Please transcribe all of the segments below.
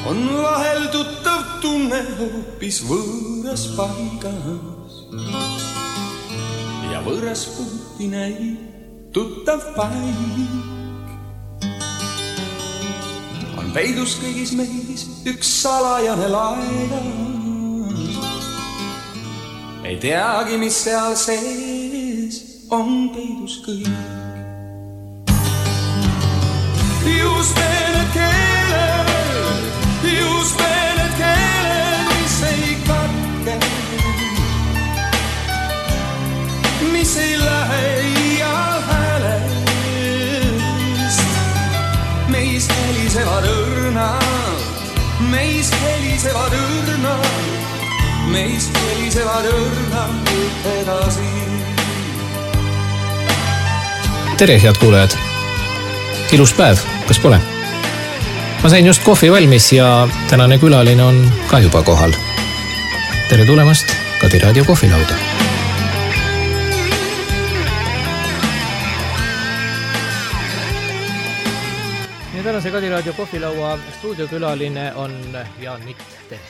on vahel tuttav tunne hoopis võõras paigas. Ja võõras puuti näib tuttav paik. On peidus kõigis meis üks salajane laigas. Ei teagi, mis seal sees on peidus kõik. Just need keeled, mis ei katke, mis ei lähe iial häälest. Meis helisevad õrnad, meis helisevad õrnad edasi. Tere, head kuulajad! Ilus päev, kas pole? Ma sain just kohvi valmis ja tänane külaline on ka juba kohal. Tere tulemast Kadi Raadio kohvilauda. Ja tänase Kadi Raadio kohvilaua stuudiokülaline on Jaan Mitt. Tere!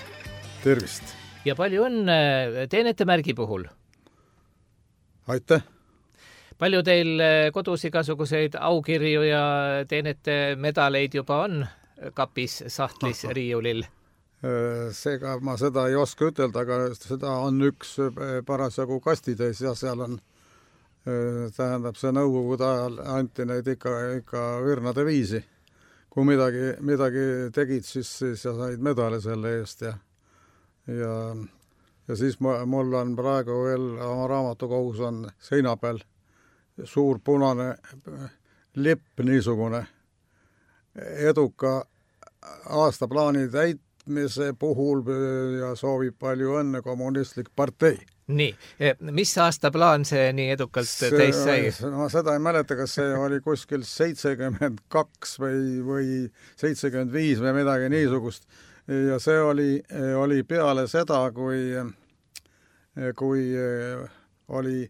Tervist! Ja palju õnne teenete märgi puhul? Aitäh! Palju teil kodus igasuguseid aukirju ja teenete medaleid juba on kapis, sahtlis, riiulil? Seega ma seda ei oska ütelda, aga seda on üks parasjagu kastitäis ja seal on, tähendab see nõukogude ajal anti neid ikka õrnade viisi. Kui midagi tegid, siis sa said medale selle eest ja siis mul on praegu veel oma raamatukogus on seina peal suur punane lipp niisugune eduka aastaplaani täitmise puhul ja soovib palju õnne kommunistlik partei. Nii, mis aastaplaan see nii edukalt täis sai? Ma seda ei mäleta, kas see oli kuskil 72 või 75 või midagi niisugust. Ja see oli peale seda, kui oli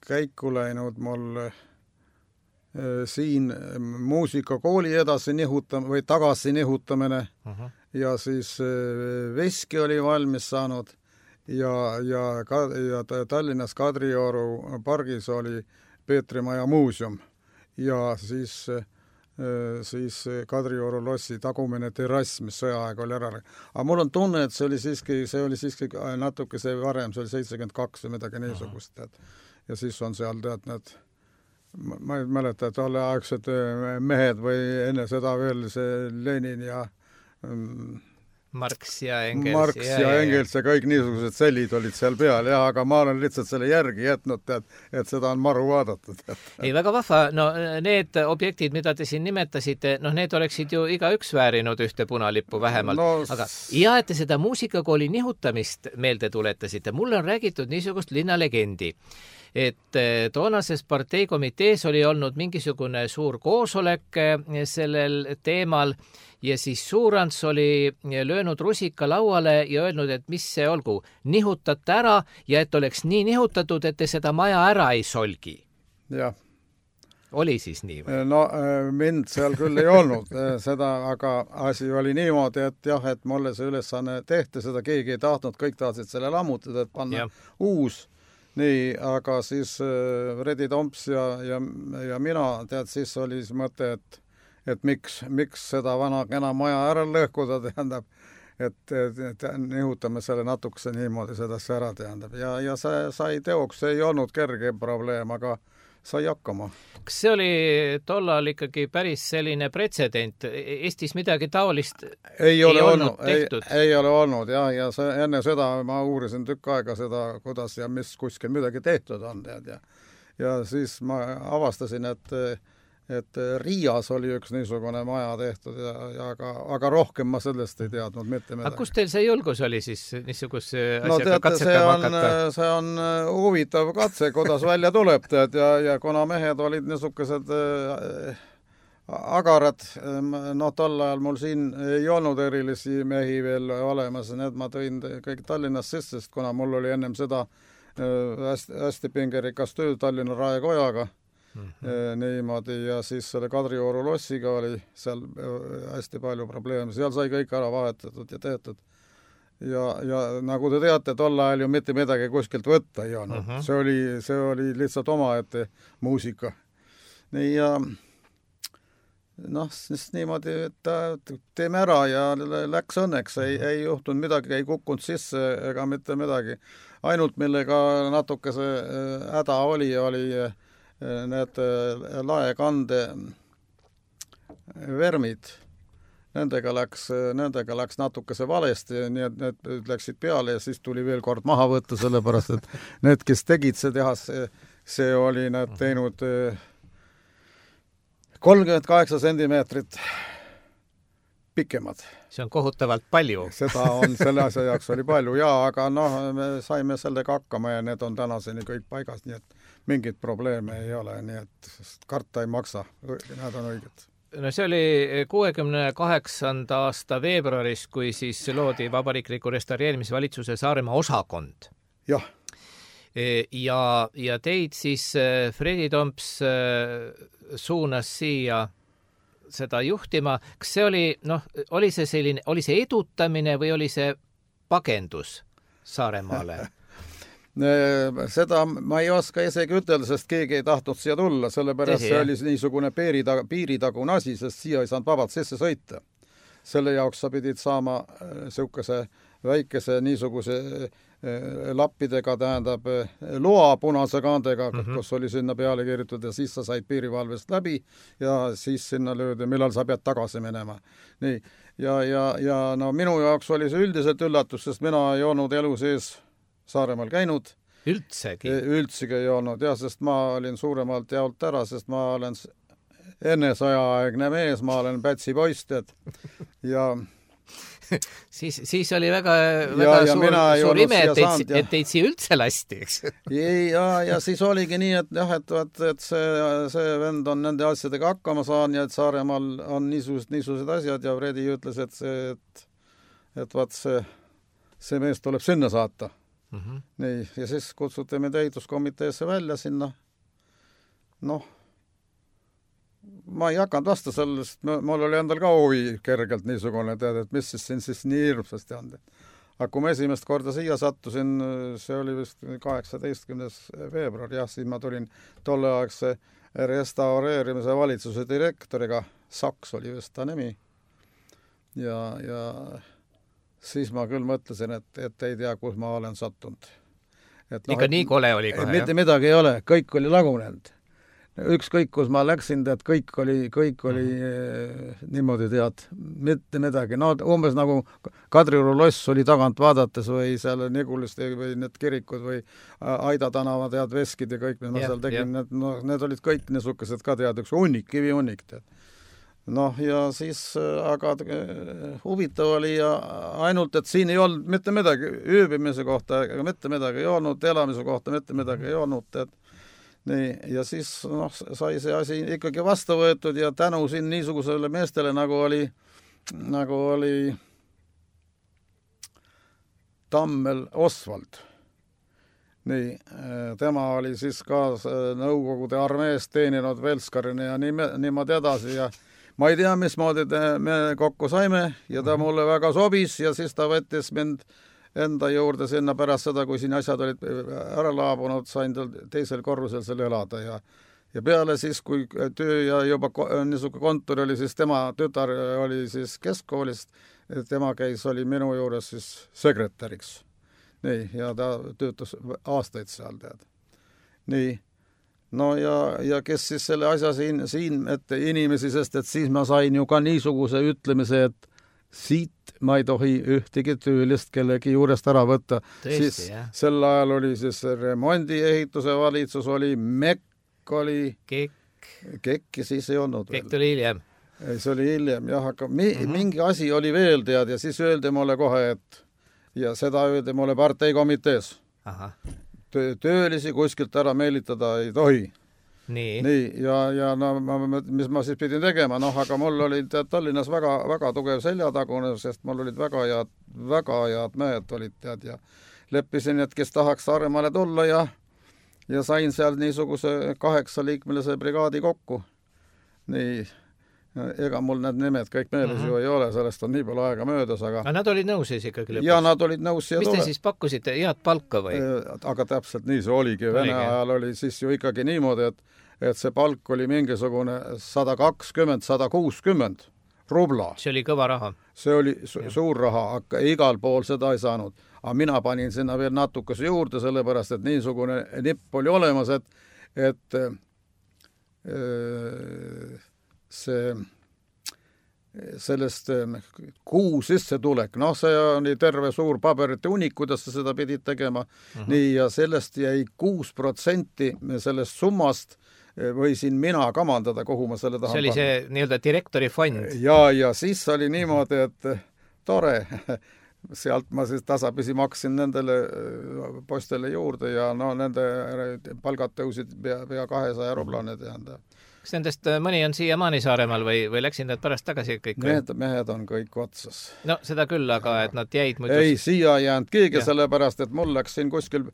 käiku läinud mul siin muusikakooli edasi või tagasi nihutamine ja siis Veski oli valmis saanud ja Tallinnas Kadrioru pargis oli Peetrimaja muuseum ja siis Kadrioru lossi tagumine terrass, mis sõjaaeg oli ära. Aga mul on tunne, et see oli siiski natuke see varem, see oli 72 või midagi niisugust. Ja siis on seal need, ma ei mäleta, et tolleaegsed mehed või enne seda veel see Lenin ja Marx ja Engels ja kõik niisugused sellid olid seal peal, aga ma olen lihtsalt selle järgi jätnud, et seda on maru vaadatud. Ei, väga vahva. No need objektid, mida te siin nimetasite, need oleksid ju igaüks väärinud ühte punalippu vähemalt. Aga ja et te seda muusikakooli nihutamist meelde tuletasite, mulle on räägitud niisugust linnalegendi, et toonases parteikomitees oli olnud mingisugune suur koosolek sellel teemal ja siis Suurants oli löönud rusika lauale ja öelnud, et mis see olgu, nihutate ära ja et oleks nii nihutatud, et te seda maja ära ei solgi. Jah. Oli siis nii või? No mind seal küll ei olnud seda, aga asi oli niimoodi, et jah, et mulle see ülesanne tehti, seda keegi ei tahtnud, kõik tahtsid selle lammutada, et panna uus. Nii, aga siis Redi Tomps ja mina, siis oli mõte, et miks seda vana kena maja ära lõhkuda, tähendab, et nihutame selle natukese niimoodi sedasi ära, tähendab. Ja see sai teoks, see ei olnud kerge probleem, aga sai hakkama. Kas see oli tollal ikkagi päris selline pretsedent? Eestis midagi taolist ei olnud tehtud? Ei ole olnud, jah, ja enne seda ma uurisin tükk aega seda, kuidas ja mis kuskil midagi tehtud on. Ja siis ma avastasin, et Riias oli üks niisugune maja tehtud, aga rohkem ma sellest ei teadnud mitte midagi. Aga kus teil see julgus oli siis niisuguse asjaga katsetama hakata? See on huvitav katse, kuidas välja tuleb, ja kuna mehed olid niisugused agarad, tol ajal mul siin ei olnud erilisi mehi veel olemas, need ma tõin kõik Tallinnas sisse, kuna mul oli ennem seda hästi pingerikas töö Tallinna Raekojaga, niimoodi ja siis selle Kadrioru lossiga oli seal hästi palju probleeme, seal sai kõik ära vahetatud ja tehtud. Ja nagu te teate, tol ajal ju mitte midagi kuskilt võtta ei olnud. See oli lihtsalt omaette muusika. Nii ja siis niimoodi, et teeme ära ja läks õnneks, ei juhtunud midagi, ei kukkunud sisse ega mitte midagi. Ainult millega natuke see häda oli need laekande vermid. Nendega läks natukese valesti, nii et need läksid peale ja siis tuli veel kord maha võtta, sellepärast et need, kes tegid see tehas, see oli need teinud 38 sentimeetrit pikemad. See on kohutavalt palju. Seda on selle asja jaoks oli palju, aga me saime sellega hakkama ja need on tänaseni kõik paigas, nii et mingit probleeme ei ole, nii et karta ei maksa, need on õiged. No see oli 68. aasta veebruaris, kui siis loodi Vabariikliku restaureerimisvalitsuse Saaremaa osakond. Jah. Ja teid siis Fredi Tomps suunas siia seda juhtima. Kas see oli see edutamine või oli see pagendus Saaremaale? Seda ma ei oska isegi ütelda, sest keegi ei tahtnud siia tulla, sellepärast see oli niisugune piiritagune asi, sest siia ei saanud vabalt sisse sõita. Selle jaoks sa pidid saama sihukese väikese niisuguse lappidega, tähendab loa punase kaandega, kus oli sinna peale kirjutatud ja siis sa said piirivalvest läbi ja siis sinna löödi, millal sa pead tagasi minema. Nii. Ja minu jaoks oli see üldiselt üllatus, sest mina ei olnud elu sees Saaremaal käinud. Üldsegi ei olnud, sest ma olin suuremalt jaolt ära, sest ma olen enne sõjaaegne mees, ma olen Pätsi poist, ja siis oli väga suur ime, et teid siia üldse lasti, eks? Ja siis oligi nii, et see vend on nende asjadega hakkama saan ja et Saaremaal on niisugused asjad ja Fredi ütles, et see mees tuleb sinna saata. Nii, ja siis kutsuti meid ehituskomiteesse välja sinna. Ma ei hakanud vastu sellest, mul oli endal ka huvi kergelt niisugune, et mis siis nii hirmsasti on. Aga kui ma esimest korda siia sattusin, see oli vist 18. veebruar, siis ma tulin tolleaegse restaureerimise valitsuse direktoriga, Saks oli vist ta nimi, ja siis ma küll mõtlesin, et ei tea, kus ma olen sattunud. Ikka nii kole oli kohe, mitte midagi ei ole, kõik oli lagunenud. Ükskõik, kus ma läksin, kõik oli niimoodi tead, mitte midagi. Umbes nagu Kadrioru loss oli tagant vaadates või seal Nigulist või need kirikud või Aida tänava tead, veskid ja kõik, mis ma seal tegin, need olid kõik niisugused ka tead, üks kivi hunnik tead. Ja siis, aga huvitav oli ja ainult, et siin ei olnud mitte midagi, ööbimise kohta mitte midagi ei olnud, elamise kohta mitte midagi ei olnud, nii, ja siis sai see asi ikkagi vastu võetud ja tänu siin niisugusele meestele, nagu oli Tammel Osvald. Nii, tema oli siis ka Nõukogude armees teeninud Velskarina ja niimoodi edasi ja ma ei tea, mismoodi me kokku saime ja ta mulle väga sobis ja siis ta võttis mind enda juurde sinna pärast seda, kui siin asjad olid ära laabunud, sain tal teisel korrusel seal elada ja peale siis, kui töö ja juba niisugune kontor oli, siis tema tütar oli siis keskkoolist, tema oli minu juures siis sekretäriks. Nii, ja ta töötas aastaid seal, tead. Nii. Ja kes siis selle asja siin ette inimesi, sest et siis ma sain ju ka niisuguse ütlemise, et siit ma ei tohi ühtegi töölist kellegi juurest ära võtta. Tõesti, jah. Sel ajal oli siis remondiehituse valitsus, oli MEK, oli Kekki siis ei olnud veel. Kekk tuli hiljem. See oli hiljem, jah, aga mingi asi oli veel, tead, ja siis öeldi mulle kohe, et ja seda öeldi mulle parteikomitees. Aha. Töölisi kuskilt ära meelitada ei tohi. Nii, ja mis ma siis pidin tegema, aga mul oli Tallinnas väga, väga tugev seljatagune, sest mul olid väga head mehed olid, tead, ja leppisin, et kes tahaks Saaremaale tulla ja ja sain seal niisuguse 8-liikmelise brigaadi kokku. Nii, ega mul need nimed kõik meeles ju ei ole, sellest on nii palju aega möödas, aga nad olid nõus siis ikkagi lõpuks? Ja nad olid nõus. Mis te siis pakkusite, head palka või? Aga täpselt nii see oligi. Vene ajal oli siis ju ikkagi niimoodi, et see palk oli mingisugune 120-160 rubla. See oli kõva raha. See oli suur raha, aga igal pool seda ei saanud. Aga mina panin sinna veel natukese juurde, sellepärast, et niisugune nipp oli olemas, et sellest kuu sissetulek, see oli terve suur paberite unik, kuidas sa seda pidid tegema. Nii, ja sellest jäi 6% sellest summast võisin mina kamandada, kuhu ma selle tahan panna. See oli see nii-öelda direktori fond. Ja siis oli niimoodi, et tore, sealt ma siis tasapisi maksin nendele postele juurde ja nende palgad tõusid pea 200 rublane tähendab. Kas nendest mõni on siiamaani Saaremaal või läksid need pärast tagasi kõik? Mehed on kõik otsas. No seda küll, aga et nad jäid muidu... Ei, siia jäänud keegi, sellepärast, et mul läks siin kuskil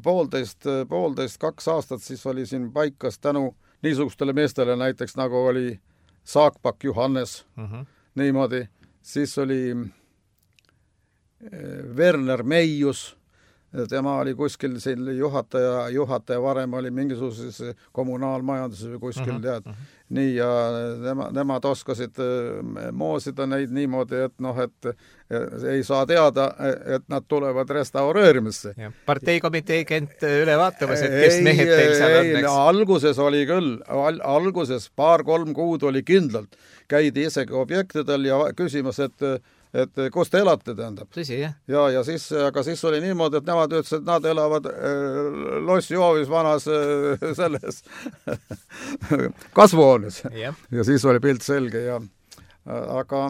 poolteist, 2 aastat, siis oli siin paikas tänu niisugustele meestele, näiteks nagu oli Saakpak Johannes, niimoodi, siis oli Werner Meius, tema oli kuskil siin juhataja varem oli mingisuguses kommunaalmajanduses või kuskil tead. Nii, ja nemad oskasid moosida neid niimoodi, et ei saa teada, et nad tulevad restaureerimisse. Parteikomitee kent üle vaatamas, et kes mehed teil seal on? Alguses oli küll, alguses 2-3 kuud oli kindlalt. Käidi isegi objektidel ja küsimas, et kus te elate, tähendab. Tõsi, jah. Ja aga siis oli niimoodi, et nemad ütlesid, et nad elavad lossihoovis vanas selles kasvuhoones. Ja siis oli pilt selge. Aga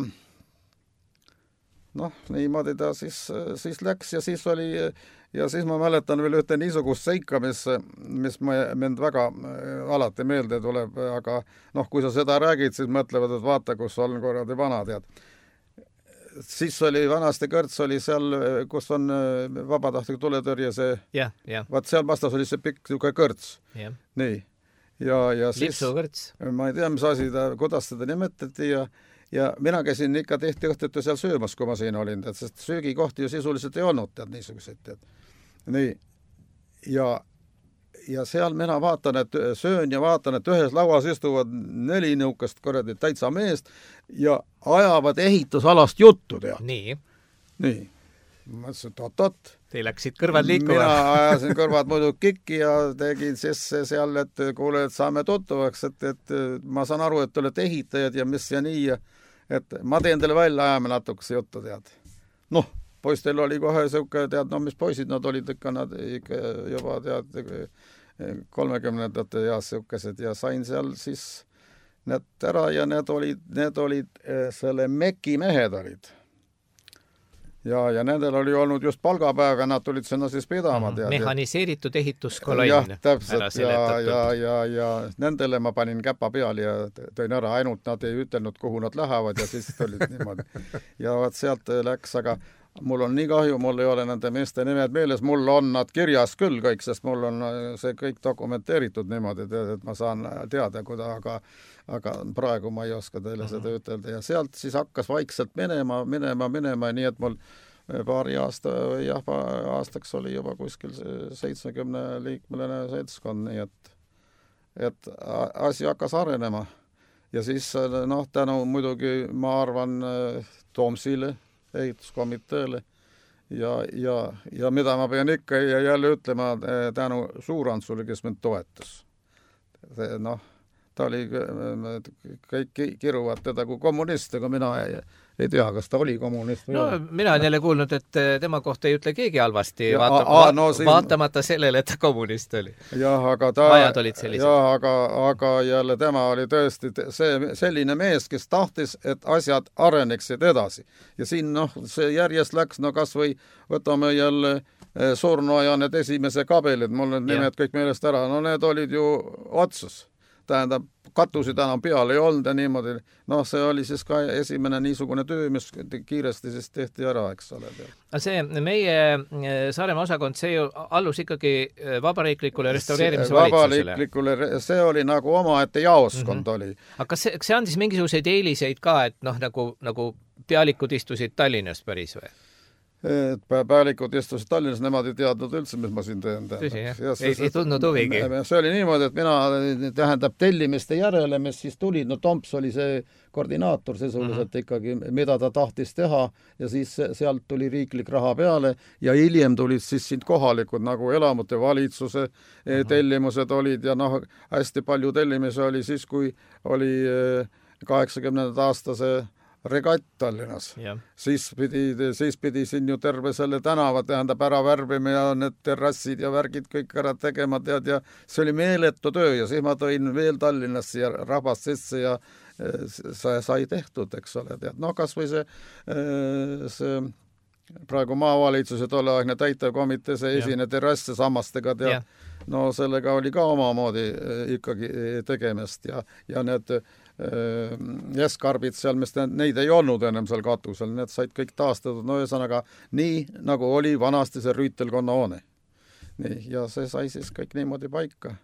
niimoodi ta siis läks ja siis oli... Ja siis ma mäletan veel ühte niisugust seika, mis mind väga alati meelde tuleb, aga kui sa seda räägid, siis mõtlevad, et vaata, kus on korradi vana, tead. Siis oli vanasti kõrts oli seal, kus on vabatahtlik tuletõrje see. Vaat seal vastas oli see pikk kõrts. Nii. Ja siis, lipsukõrts. Ma ei tea, mis asi kuidas seda nimetati ja mina käisin ikka tihti õhtuti seal söömas, kui ma siin olin, sest söögikohti ju sisuliselt ei olnud, tead, niisuguseid, tead. Nii. Ja seal mina vaatan, et söön ja vaatan, et ühes lauas istuvad 4 nõukast korradi täitsa meest ja ajavad ehitusalast juttu, tead. Nii. Ma ütlesin, et Teil läksid kõrvad liikuma. Mina ajasin kõrvad muidu kikki ja tegin siis seal, et kuule, et saame tuttuvaks, et ma saan aru, et te olete ehitajad ja mis ja nii, et ma teen teile välja, ajame natukese juttu, tead. Poistel oli kohe siuke, tead, mis poisid nad olid ikka, nad ikka juba, tead, 30-ndate ja siukesed ja sain seal siis need ära ja need olid selle Meki mehed olid. Ja nendel oli olnud just palgapäev ja nad tulid sinna siis pidama. Mehaniseeritud ehituskolonn. Jah, täpselt. Ja nendele ma panin käpa peal ja tõin ära, ainult nad ei ütelnud, kuhu nad lähevad ja siis tulid niimoodi. Ja vaat sealt läks, aga mul on nii kahju, mul ei ole nende meeste nimed meeles, mul on nad kirjas küll kõik, sest mul on see kõik dokumenteeritud niimoodi, et ma saan teada, aga praegu ma ei oska teile seda ütelda. Ja sealt siis hakkas vaikselt minema, nii et mul paari aastaks oli juba kuskil 70-liikmeline seltskond, nii et asi hakkas arenema. Ja siis tänu muidugi, ma arvan, Toomsile, ehituskomiteele ja mida ma pean ikka jälle ütlema tänu Suurantsule, kes mind toetas. Ta oli, kõik kiruvad teda kui kommunist, aga mina ei tea, kas ta oli kommunist. Mina olen jälle kuulnud, et tema kohta ei ütle keegi halvasti, vaatamata sellele, et ta kommunist oli. Ajad olid sellised. Aga jälle tema oli tõesti selline mees, kes tahtis, et asjad areneksid edasi. Ja siin see järjest läks, kas või võtame jälle Surnoja need esimese kabelid, mul need nimed kõik meelest ära, need olid ju otsas. tähendab, katusid enam peal ei olnud ja niimoodi, noh, see oli siis ka esimene niisugune töö, mis kiiresti siis tehti ära, eks ole. See meie Saaremaa osakond, see ju allus ikkagi vabariiklikule restaureerimise valitsusele. See oli nagu omaette jaoskond oli. Aga kas see andis mingisuguseid eeliseid ka, et noh, nagu pealikud istusid Tallinnas päris või? Pealikud istusid Tallinnas, nemad ei teadnud üldse, mis ma siin teen. Tõsi, jah? Ei tundnud huvigi? See oli niimoodi, et mina, tähendab, tellimiste järele, mis siis tulid, no Tomps oli see koordinaator sisuliselt ikkagi, mida ta tahtis teha ja siis sealt tuli riiklik raha peale ja hiljem tulid siis siin kohalikud nagu elamute valitsuse tellimused olid ja noh, hästi palju tellimisi oli siis, kui oli 80. aastase regatt Tallinnas. Siis pidi siin ju terve selle tänava, tähendab, ära värvime ja need terrassid ja värgid kõik ära tegema, tead, ja see oli meeletu töö ja siis ma tõin veel Tallinnasse ja rahvast sisse ja sai tehtud, eks ole, tead. No kas või see praegu maavalitsuse tolleaegne täitevkomitee, see esine terrass sammastega, tead, no sellega oli ka omamoodi ikkagi tegemist ja need jeskarbid seal, mis neid ei olnud ennem seal katusel, need said kõik taastatud, no ühesõnaga nii, nagu oli vanasti see rüütelkonna hoone. Nii, ja see sai siis kõik niimoodi paika.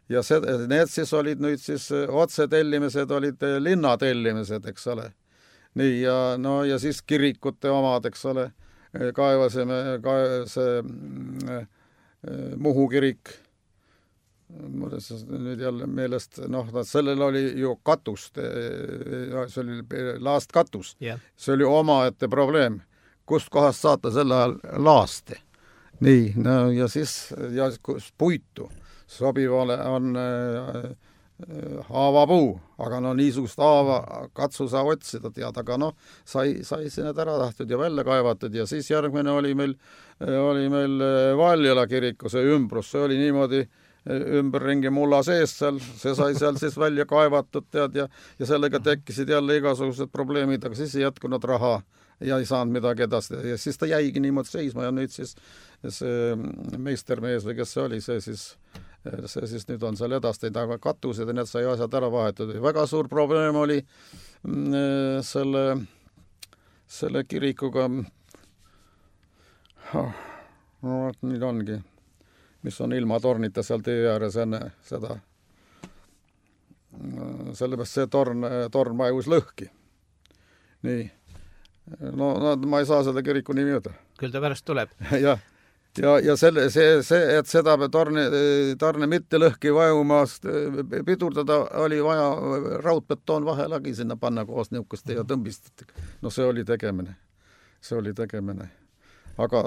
Ja need siis olid nüüd siis otsetellimised, olid linnatellimised, eks ole. Nii, ja siis kirikute omad, eks ole, kaevasime see Muhu kirik, nüüd jälle meelest, noh, sellel oli ju katust, see oli laastkatus. See oli omaette probleem, kust kohast saata selle ajal laaste. Nii, no ja siis puitu sobivale on haavapuu, aga no niisugust haava katsu saa otsida, tead, aga noh, sai sinna ära tahtud ja välja kaevatud ja siis järgmine oli meil Valjala kiriku see ümbrus, see oli niimoodi ümberringi mulla sees seal, see sai seal siis välja kaevatud, tead, ja sellega tekkisid jälle igasugused probleemid, aga siis ei jätkunud raha ja ei saanud midagi edasi ja siis ta jäigi niimoodi seisma ja nüüd siis see meistermees või kes see oli, see siis nüüd on seal edastanud, aga katused ja need sai asjad ära vahetud. Väga suur probleem oli selle kirikuga, no nüüd ongi, mis on ilma tornita seal tee ääres enne seda. Sellepärast see torn vajus lõhki. Nii. No ma ei saa seda kiriku nimi öelda. Küll ta pärast tuleb. Ja et seda torne mitte lõhki vajumast pidurdada, oli vaja raudbetoon vahelagi sinna panna koos niukuste ja tõmbist. No see oli tegemine. Aga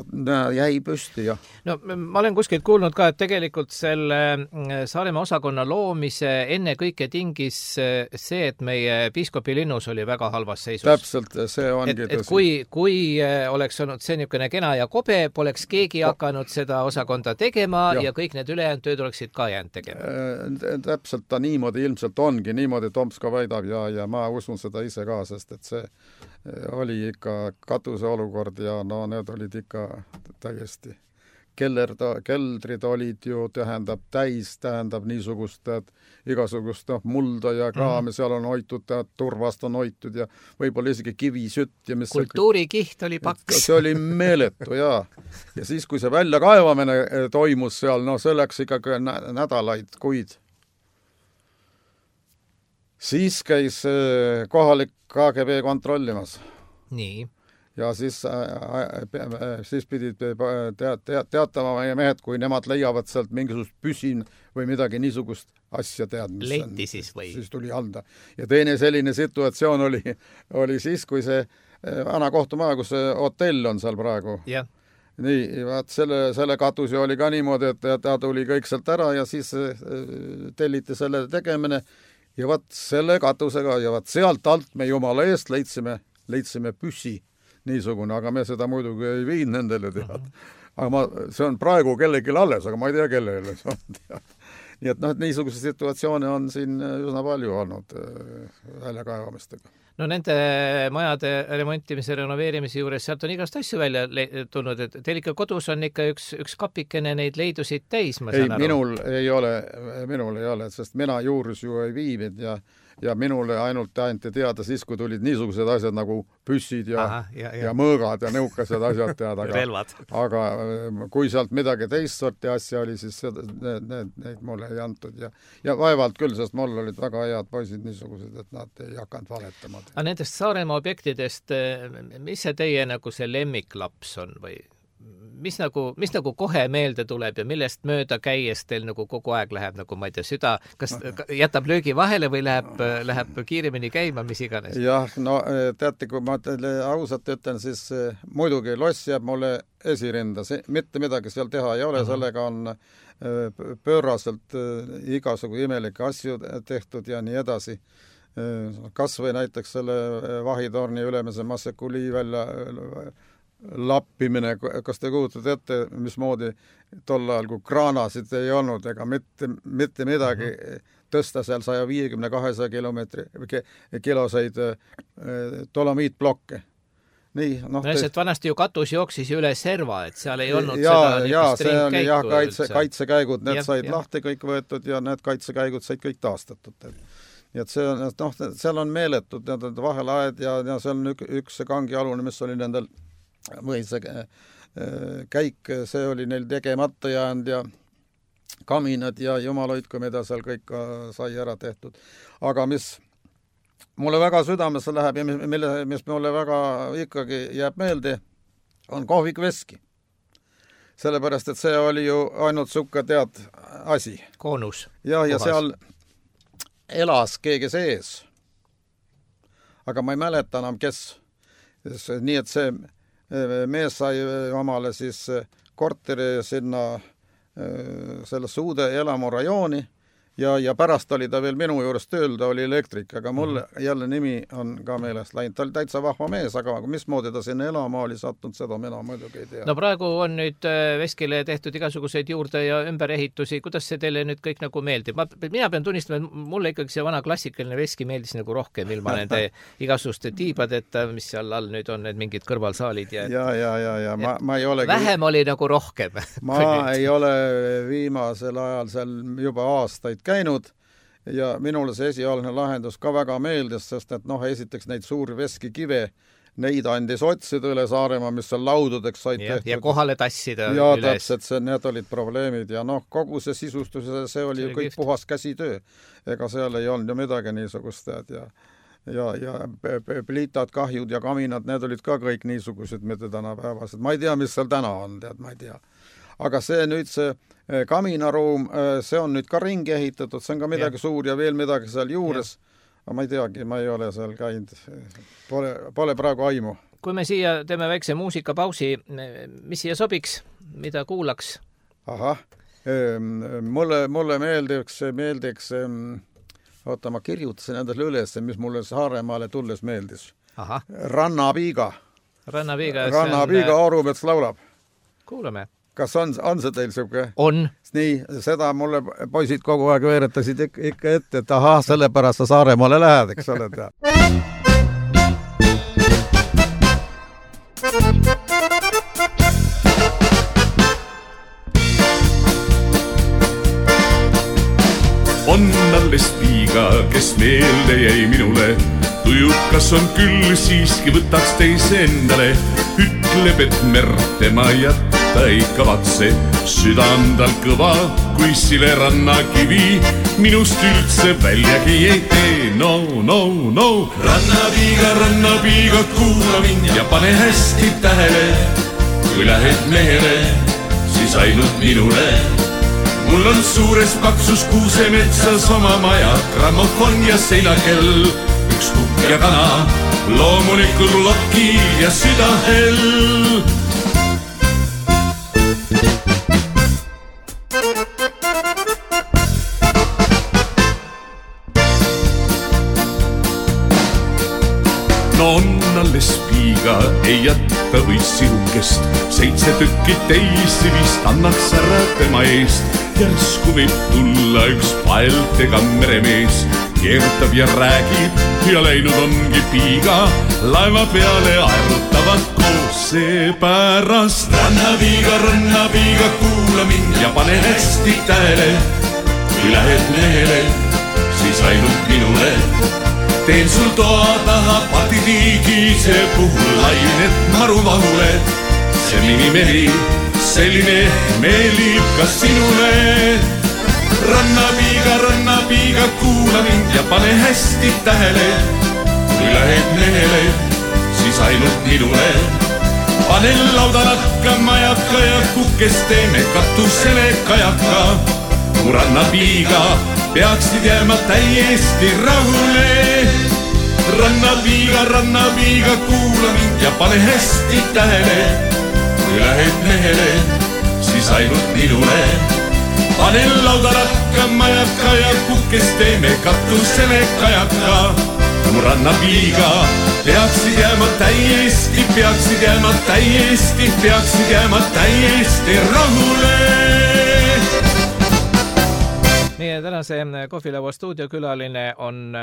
jäi püsti, jah. No ma olen kuskilt kuulnud ka, et tegelikult selle Saaremaa osakonna loomise enne kõike tingis see, et meie piiskopi linnus oli väga halvas seisus. Täpselt, see ongi tõsi. Et kui oleks olnud see niisugune kena ja kobe, poleks keegi hakanud seda osakonda tegema ja kõik need ülejäänud tööd oleksid ka jäänud tegema. Täpselt ta niimoodi ilmselt ongi, niimoodi Toms ka väidab ja ma usun seda ise ka, sest et see oli ikka katuse olukord ja no need olid ikka täiesti. Keldrid olid ju, tähendab niisugust, igasugust mulda ja kraami, seal on hoitud, turvast on hoitud ja võib-olla isegi kivisütt. Ja kultuurikiht oli paks. See oli meeletu, jaa. Ja siis, kui see väljakaevamine toimus seal, no see läks ikkagi nädalaid, kuid. Siis käis kohalik KGB kontrollimas. Nii. Ja siis pidid teatama meie mehed, kui nemad leiavad sealt mingisugust püsin või midagi niisugust asja tead. Letti siis või? Siis tuli anda. Ja teine selline situatsioon oli siis, kui see vana kohtumaja, kus see hotell on seal praegu. Jah. Nii, vaat selle katusi oli ka niimoodi, et ta tuli kõik sealt ära ja siis telliti selle tegemine ja vaat selle katusega ja vaat sealt alt me jumala eest leidsime püssi niisugune, aga me seda muidugi ei viinud nendele tead. Aga see on praegu kellelgi alles, aga ma ei tea kellele see on tead. nii et niisuguse situatsioone on siin üsna palju olnud väljakaevamistega. No nende majade remontimise, renoveerimise juures sealt on igast asju välja tulnud, et teil ikka kodus on ikka üks kapikene neid leidusid täis, ma saan aru. Minul ei ole, sest mina juures ju ei viinud ja minule ainult anti teada siis, kui tulid niisugused asjad nagu püssid ja mõõgad ja nõukased asjad teada. Aga kui sealt midagi teist sorti asja oli, siis neid mulle ei antud ja vaevalt küll, sest mul olid väga head poisid niisugused, et nad ei hakanud valetama. Aga nendest Saaremaa objektidest, mis see teie nagu see lemmiklaps on või mis nagu kohe meelde tuleb ja millest mööda käies teil nagu kogu aeg läheb, nagu ma ei tea, süda, kas jätab löögi vahele või läheb kiiremini käima, mis iganes? Jah, no teate, kui ma teile ausalt ütlen, siis muidugi loss jääb mulle esirinda, mitte midagi seal teha ei ole, sellega on pööraselt igasugu imelikke asju tehtud ja nii edasi. Kas või näiteks selle vahitorni ülemise Massekuli välja lappimine, kas te kujutate ette, mismoodi tol ajal, kui kraanasid ei olnud ega mitte midagi tõsta seal 150-200 kiloseid dolomiitblokke. Nii, et vanasti ju katus jooksis üle serva, et seal ei olnud kaitsekäigud, need said lahti kõik võetud ja need kaitsekäigud said kõik taastatud. Nii et see on, seal on meeletud vahelaed ja seal on üks kangialune, mis oli nendel või see käik, see oli neil tegemata jäänud ja kaminad ja jumal hoidku, mida seal kõik sai ära tehtud. Aga mis mulle väga südamesse läheb ja mis mulle väga ikkagi jääb meelde, on kohvik Veski. Sellepärast, et see oli ju ainult sukka tead asi. Koonus. Ja seal elas keegi sees. Aga ma ei mäleta enam, kes. Nii et see mees sai omale siis korteri sinna sellesse uude elamurajooni ja pärast oli ta veel minu juures tööl, ta oli elektrik, aga mul jälle nimi on ka meelest läinud. Ta oli täitsa vahva mees, aga mismoodi ta sinna elama oli sattunud, seda mina muidugi ei tea. No praegu on nüüd Veskile tehtud igasuguseid juurde ja ümberehitusi. Kuidas see teile nüüd kõik nagu meeldib? Mina pean tunnistama, et mulle ikkagi see vana klassikaline Veski meeldis nagu rohkem ilma nende igasuguste tiibadeta, mis seal all nüüd on, need mingid kõrvalsaalid. Ja. Ma ei ole vähem oli nagu rohkem. Ma ei ole viimasel ajal seal juba aastaid käinud ja minule see esialgne lahendus ka väga meeldis, sest et esiteks neid suuri Veskikive, neid andis otsida üle Saaremaa, mis seal laududeks said tehtud. Ja kohale tassida ja üles. Täpselt, need olid probleemid ja kogu see sisustus, see oli ju kõik puhas käsitöö. Ega seal ei olnud ju midagi niisugust ja pliitad, kahjud ja kaminad, need olid ka kõik niisugused, mitte tänapäevased. Ma ei tea, mis seal täna on, ma ei tea. Aga see nüüd see kaminaruum, see on nüüd ka ringi ehitatud, see on ka midagi suur ja veel midagi seal juures. Aga ma ei teagi, ma ei ole seal käinud. Pole praegu aimu. Kui me siia teeme väikse muusikapausi, mis siia sobiks, mida kuulaks? Ahah, mulle meeldiks oota, ma kirjutasin endale üles, mis mulle Saaremaale tulles meeldis. Aha. Rannapiiga. Rannapiiga Orumets laulab. Kuulame. Kas on see teil siuke? On. Nii, seda mulle poisid kogu aeg veeretasid ikka ette, et ahah, sellepärast sa Saaremaale lähed, eks ole tea. On alles piiga, kes meelde jäi minule. Tujukas on küll, siiski võtaks teise endale. Ütleb, et merd tema jätta ei kavatse. Süda on tal kõva, kui sile rannakivi. Minust üldse väljagi ei tee, no. Rannapiiga, kuula mind ja pane hästi tähele. Kui lähed mehele, siis ainult minule. Mul on suures paksus kuusemetsas oma maja, grammofon ja seinakell, üks kukk ja kana, loomulikul loki ja südahell. no on alles piiga, ei jätta või sihukest. 7 tükki teisi vist annaks ära tema eest. Järsku võib tulla üks paeltega meremees. Keerutab ja räägib ja läinud ongi piiga. Laeva peale aerutavad koos seepärast. Rannapiiga, kuula mind ja pane hästi tähele. Kui lähed mehele, siis ainult minule. Teen sul toa taha patiliigise puhul lained maruvahule. See minimeri, selline meelib ka sinule. Rannapiiga, kuula mind ja pane hästi tähele. Kui lähed mehele, siis ainult minule. Pane lauda nakka majaka ja kukes teeme katusele kajaka. Mu rannapiiga peaksid jääma täiesti rahule. Rannapiiga, kuula mind ja pane hästi tähele. Kui lähed mehele, siis ainult minule. Pane lauda nakka majaka ja kukes teeme katusele kajaka. Mu rannapiiga peaksid jääma täiesti rahule. Meie tänase Kohvilaua stuudiokülaline on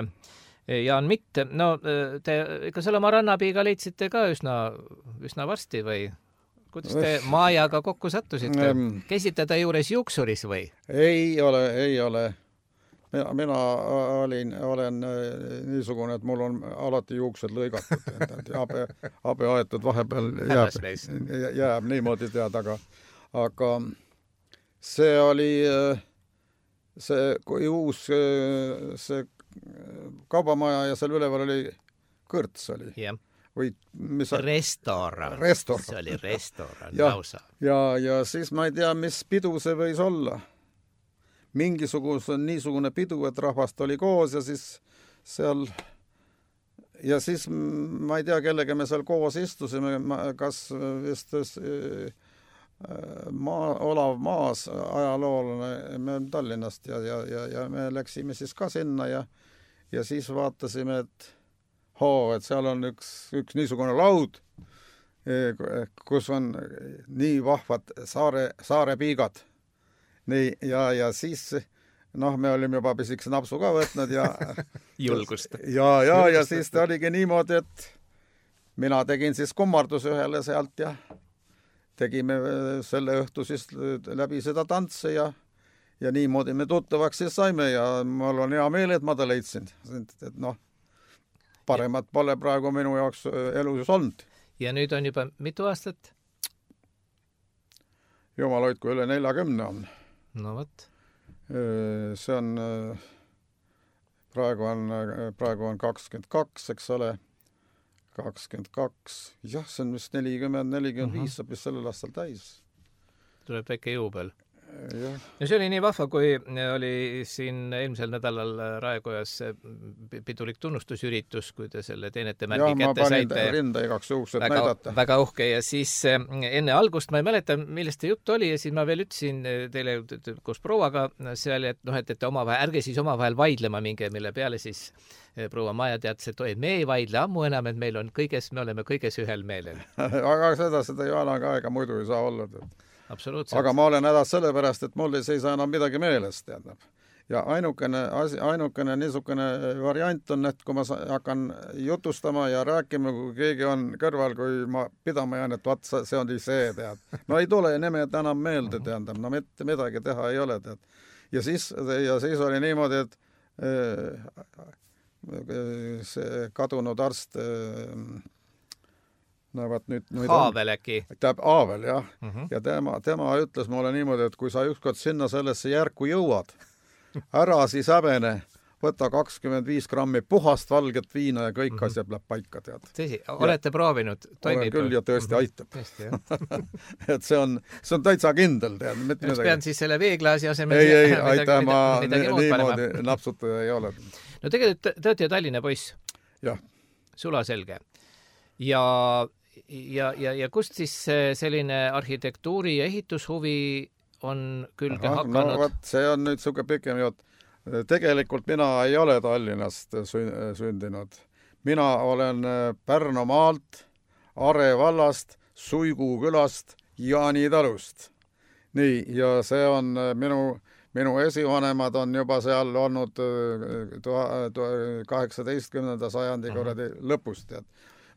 Jaan Mitt. No, te ikka selle oma rannapiiga leidsite ka üsna varsti või? Kuidas te Maajaga kokku sattusite? Käisite ta juures juuksuris või? Ei ole. Mina olen niisugune, et mul on alati juuksed lõigatud. Habe aetud vahepeal jääb niimoodi tead, aga see oli kui uus see kaubamaja ja seal üleval oli kõrts oli. Jah. Või mis restoran. See oli restoran lausa. Ja siis ma ei tea, mis pidu see võis olla. Niisugune pidu, et rahvast oli koos ja siis seal ma ei tea, kellega me seal koos istusime, kas vist Olav Maas ajaloolane, me oleme Tallinnast ja me läksime siis ka sinna ja siis vaatasime, et seal on üks niisugune laud, kus on nii vahvad saare piigad. Nii, ja siis, me olime juba pisikese napsu ka võtnud ja julgust. Ja siis ta oligi niimoodi, et mina tegin siis kummardus ühele sealt ja tegime selle õhtu siis läbi seda tantse ja niimoodi me tuttavaks siis saime ja mul on hea meel, et ma ta leidsin. Et paremat pole praegu minu jaoks elus olnud. Ja nüüd on juba mitu aastat? Jumal hoidku üle 40 on. No võt. See on, praegu on 22, eks ole, 22, jah, see on vist 40-45 saab vist sellel aastal täis. Tuleb väike juubel. Ja see oli nii vahva, kui oli siin eelmisel nädalal Raekojas pidulik tunnustusüritus, kui te selle teenete märgi kätte saite. Ja ma panin rinda igaks juhuks, et näidata. Väga uhke ja siis enne algust ma ei mäleta, millest te jutt oli ja siis ma veel ütlesin teile koos prouaga seal, et ärge siis omavahel vaidlema minge, mille peale siis proua Maja teatas, et me ei vaidle ammu enam, et me oleme kõiges ühel meelel. Aga seda Jaanaga aega muidu ei saa olla. Absoluutselt. Aga ma olen hädas sellepärast, et mul ei seisa enam midagi meeles, teadab. Ja ainukene niisugune variant on, et kui ma hakkan jutustama ja rääkima, kui keegi on kõrval, kui ma pidama jään, et vaat see on see, tead. No ei tule nimed enam meelde, teadab. No mitte midagi teha ei ole, tead. Ja siis oli niimoodi, et see kadunud arst Aavel äkki. Aavel, jah. Ja tema ütles mulle niimoodi, et kui sa ükskord sinna sellesse järku jõuad, ära siis häbene, võta 25 grammi puhast valget viina ja kõik asjad läheb paika, tead. Tõsi, olete proovinud? Olen küll ja tõesti aitab. Tõesti, jah. Et see on täitsa kindel, tead. Kas pean siis selle veeklaasi asemel ei, aitäh, ma niimoodi napsutaja ei ole. No tegelikult te olete ju Tallinna poiss. Jah. Sulaselge. Ja kust siis selline arhitektuuri ja ehitushuvi on külge hakanud? No võt, see on nüüd siuke pikem jutt. Tegelikult mina ei ole Tallinnast sündinud. mina olen Pärnumaalt, Are vallast, Suigu külast, Jaani talust. Nii, ja see on minu esivanemad on juba seal olnud 18. sajandi korradi lõpust, tead.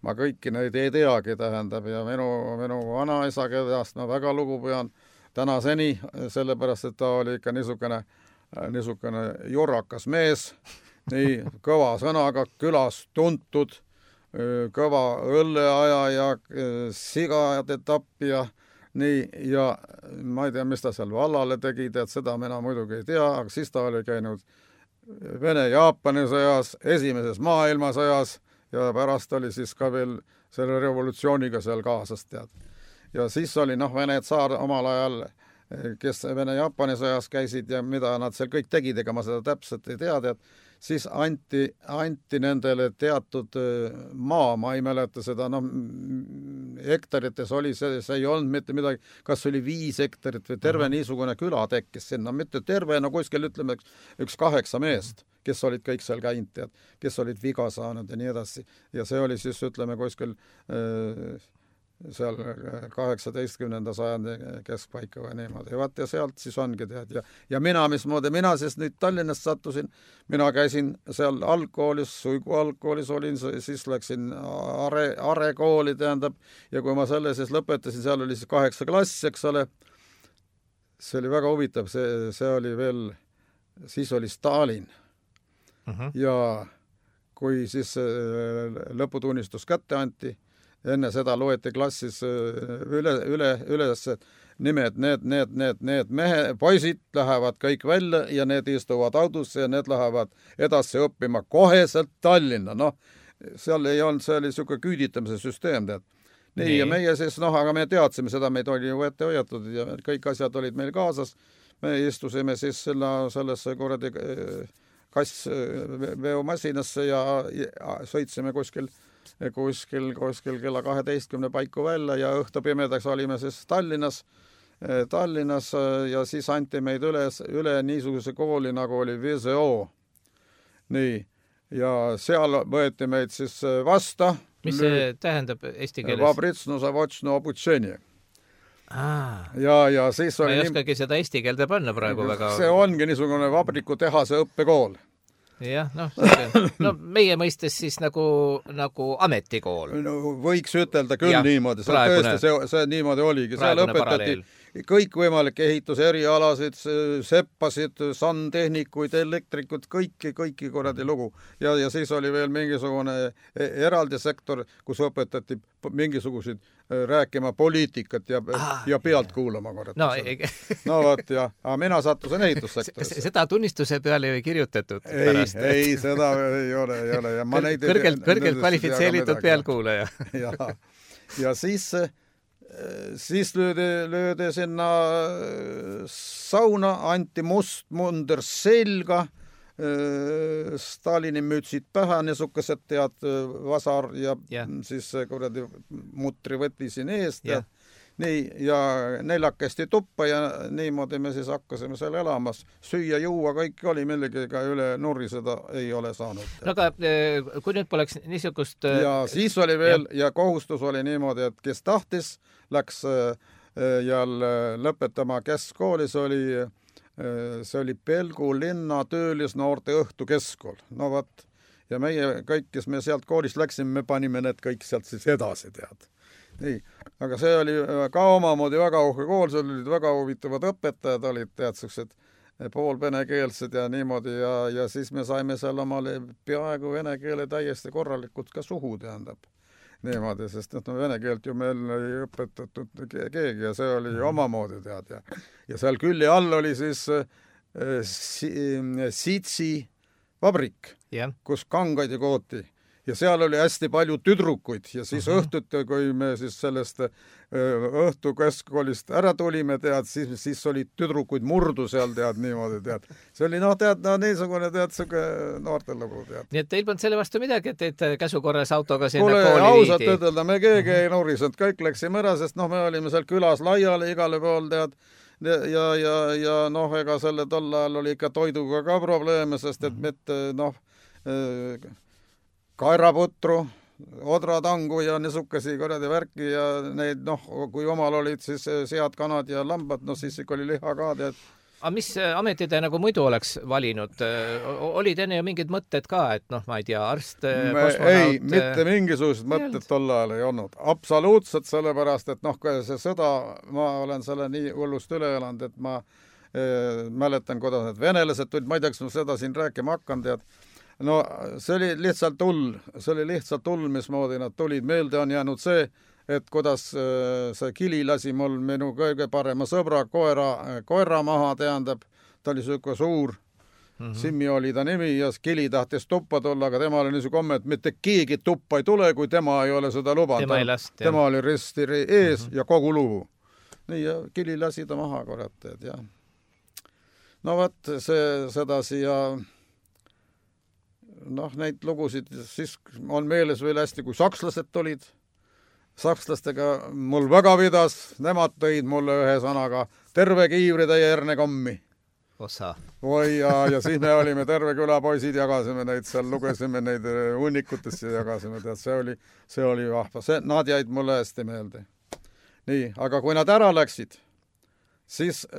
Ma kõiki neid ei teagi, tähendab, ja minu vanaisa, kellest ma väga lugu pean tänaseni, sellepärast, et ta oli ikka niisugune jorrakas mees, nii kõva sõnaga külas tuntud, kõva õlleaja ja sigade tappija, nii, ja ma ei tea, mis ta seal vallale tegi, tead, seda mina muidugi ei tea, aga siis ta oli käinud Vene-Jaapani sõjas, esimeses maailmasõjas ja pärast oli siis ka veel selle revolutsiooniga seal kaasas, tead. Ja siis oli, Vene tsaar omal ajal, kes Vene-Jaapani sõjas käisid ja mida nad seal kõik tegid, ega ma seda täpselt ei tea, tead, siis anti nendele teatud maa, ma ei mäleta seda, hektarites oli, see ei olnud mitte midagi, kas oli 5 hektarit või terve niisugune küla tekkis sinna, mitte terve, kuskil ütleme üks 8 meest, kes olid kõik seal käinud, tead, kes olid viga saanud ja nii edasi. Ja see oli siis, ütleme, kuskil seal 18. sajandi keskpaika või niimoodi. Ja sealt siis ongi, tead. Ja mina siis nüüd Tallinnast sattusin, mina käisin seal algkoolis, Suigu algkoolis olin, siis läksin Are kooli, tähendab, ja kui ma selle siis lõpetasin, seal oli siis 8 klass, eks ole, see oli väga huvitav, see oli veel, siis oli Stalin. Ja kui siis lõputunnistus kätte anti, enne seda loeti klassis üles nimed, need poisid lähevad kõik välja ja need istuvad autosse ja need lähevad edasi õppima koheselt Tallinna. Seal ei olnud, see oli niisugune küüditamise süsteem, tead. Nii, ja meie siis, aga me teadsime seda, meid oli ju ette hoiatud ja kõik asjad olid meil kaasas. Me istusime siis sellesse korradi kassveomasinasse ja sõitsime kuskil kella 12 paiku välja ja õhtu pimedaks olime siis Tallinnas ja siis anti meid üle niisuguse kooli, nagu oli VZO. Nii, ja seal võeti meid siis vasta. Mis see tähendab eesti keeles? Vabritsno zavočno obutsenie. Ja siis oli... Ma ei oskagi seda eesti keelde panna praegu väga... See ongi niisugune vabrikutehase õppekool. Jah, meie mõistes siis nagu ametikool. Võiks ütelda küll niimoodi, see niimoodi oligi. Seal õpetati kõikvõimalikke ehituse erialasid, seppasid, santehnikuid, elektrikud, kõiki korradi lugu. Ja siis oli veel mingisugune eraldi sektor, kus õpetati mingisuguseid rääkima poliitikat ja pealt kuulama korralt. Võt, ja mina sattusin ehitussektorisse. Seda tunnistuse peale ei kirjutatud pärast. Ei, seda ei ole. Ja kõrgelt kvalifitseeritud pealkuulaja. Ja siis löödi sinna sauna, anti must munder selga, Stalini mütsid pähe, niisugused tead vasar ja siis kuradi mutri võti siin eest ja nii, ja 4 tuppa ja niimoodi me siis hakkasime seal elamas. Süüa, juua, kõik oli millegi üle nurri, seda ei ole saanud. Aga kui nüüd poleks niisugust... Ja siis oli veel, ja kohustus oli niimoodi, et kes tahtis, läks jälle lõpetama keskkooli, see oli Pelgu linna töölisnoorte õhtukeskkool. Ja meie kõik, kes me sealt koolist läksime, me panime need kõik sealt siis edasi, tead. Nii, aga see oli ka omamoodi väga uhke kool, seal olid väga huvitavad õpetajad, olid teadsukesed poolvenekeelsed ja niimoodi ja siis me saime seal omale peaaegu vene keele täiesti korralikult ka suhu, tähendab. Niimoodi, sest vene keelt ju meil ei õpetatud keegi ja see oli omamoodi, tead. Ja seal külli all oli siis Sitsi vabrik, kus kangaid ja kooti. Ja seal oli hästi palju tüdrukuid ja siis õhtuti, kui me siis sellest õhtukeskkoolist ära tulime, tead, siis oli tüdrukuid murdu seal, tead, niimoodi, tead. See oli, niisugune, tead, noortelugu, tead. Nii et teil polnud selle vastu midagi, et teid käsukorras autoga sinna kooli viidi? Ausalt ütelda, me keegi ei nurisnud, kõik läksime ära, sest me olime seal külas laiali igale pool, tead, ja ega selle tol ajal oli ikka toiduga ka probleeme, sest et mitte, kaeraputru, odratangu ja niisugasi kuradi värki ja neid, kui omal olid siis sead, kanad ja lambad, siis ikka oli liha ka, tead. Aga mis ametid te nagu muidu oleks valinud? Olid enne ju mingid mõtted ka, et ma ei tea, arst, kosmonaut? Ei, mitte mingisugused mõtted tol ajal ei olnud. Absoluutselt sellepärast, et see sõda, ma olen selle nii hullust üle elanud, et ma mäletan, kuidas need venelased tulid, ma ei tea, kas ma seda siin rääkima hakkan, tead. No see oli lihtsalt hull, mismoodi nad tulid. Meelde on jäänud see, et kuidas see Kili lasi mul minu kõige parema sõbra koera maha, tähendab, ta oli selline suur, Simmi oli ta nimi ja Kili tahtis tuppa tulla, aga tema oli niisugune komme, et mitte keegi tuppa ei tule, kui tema ei ole seda lubanud. Tema oli risti ees ja kogu lugu. Nii, ja Kili lasi ta maha, kurat, et jah. No võt, sedasi ja neid lugusid siis on meeles veel hästi, kui sakslased tulid. Sakslastega mul väga vidas, nemad tõid mulle ühe sõnaga terve kiivritäie hernekommi. Osa. Oi, ja siis me olime terve küla poisid, jagasime neid seal, lugesime neid hunnikutest ja jagasime, tead, see oli vahva. Nad jäid mulle hästi meelde. Nii, aga kui nad ära läksid, siis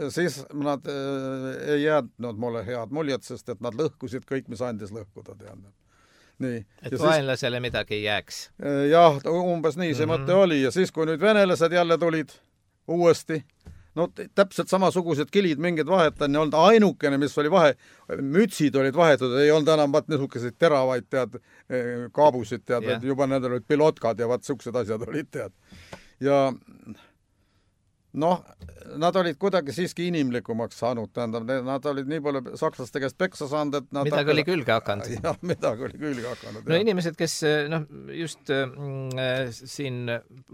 nad ei jäädnud mulle head muljed, sest et nad lõhkusid kõik, mis andis lõhkuda, teadnud. Nii. Et vaenlasele midagi ei jääks. Jah, umbes nii see mõte oli. Ja siis, kui nüüd venelased jälle tulid uuesti, täpselt samasugused kilid, mingid vahetan, ja olnud ainukene, mis oli vahe, mütsid olid vahetud, ei olnud enam niisuguseid teravaid, tead, kaabusid, tead, juba nendel olid pilotkad ja siuksed asjad olid, tead. Ja nad olid kuidagi siiski inimlikumaks saanud, tähendab, nad olid nii palju sakslaste käest peksa saanud, et nad midagi oli külge hakanud. Jah, midagi oli külge hakanud. No inimesed, kes just siin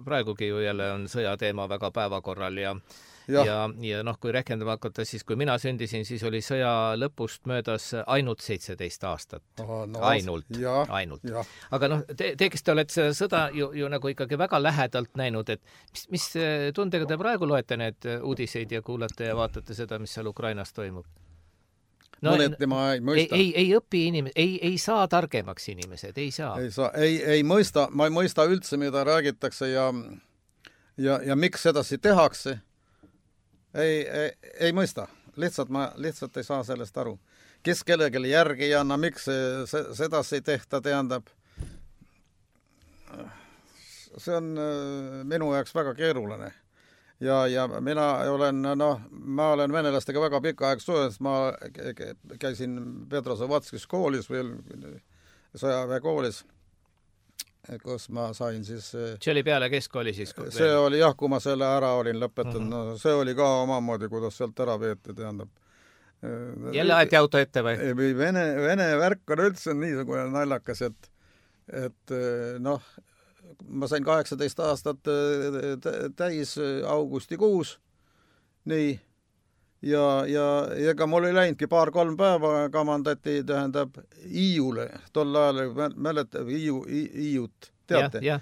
praegugi ju jälle on sõjateema väga päevakorral ja kui rehkendama hakata, siis kui mina sündisin, siis oli sõja lõpust möödas ainult 17 aastat. Ainult. Aga te, kes te olete sõda ju nagu ikkagi väga lähedalt näinud, et mis tundega te praegu loete need uudiseid ja kuulate ja vaatate seda, mis seal Ukrainas toimub? Mõneti ma ei mõista. Ei õpi inimesed, ei saa targemaks inimesed, ei saa. Ei mõista, ma ei mõista üldse, mida räägitakse ja miks sedasi tehakse. Ei mõista. Lihtsalt ei saa sellest aru. Kes kellelegi järgi ei anna, miks sedasi ei tehta, tähendab. See on minu jaoks väga keeruline. Ja mina olen venelastega väga pika aeg suhelnud, ma käisin Petrozavodskis koolis veel, sõjaväe koolis, kus ma sain siis... See oli peale keskkooli siis? See oli jah, kui ma selle ära olin lõpetanud. See oli ka omamoodi, kuidas sealt ära veeti, tähendab. Jälle aeti auto ette või? Vene värk on üldse niisugune naljakas, et ma sain 18 aastat täis augustikuus. Nii. Ja ega mul ei läinudki 2-3 päeva kamandati, tähendab, Iiule. Tol ajal mäletab Iiut, teate? Ja